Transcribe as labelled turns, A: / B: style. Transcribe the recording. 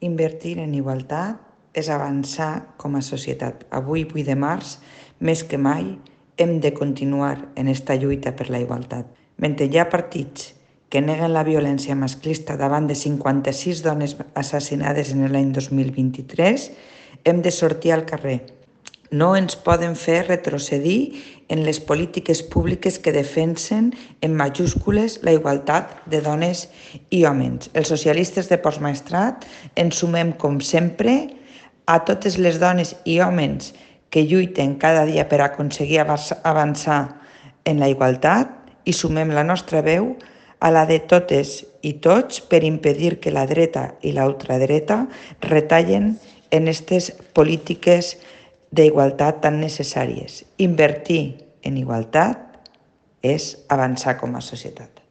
A: Invertir en igualtat és avançar com a societat. Avui, 8 de març, més que mai, hem de continuar en esta lluita per la igualtat. Mentre hi ha partits que neguen la violència masclista davant de 56 dones assassinades en l'any 2023, hem de sortir al carrer. No ens poden fer retrocedir en les polítiques públiques que defensen en majúscules la igualtat de dones i homes. Els socialistes de Postmaestrat ens sumem, com sempre, a totes les dones i homes que lluiten cada dia per aconseguir avançar en la igualtat i sumem la nostra veu a la de totes i tots per impedir que la dreta i la ultradreta retallen en aquestes polítiques d'igualtat tan necessàries. Invertir en igualtat és avançar com a societat.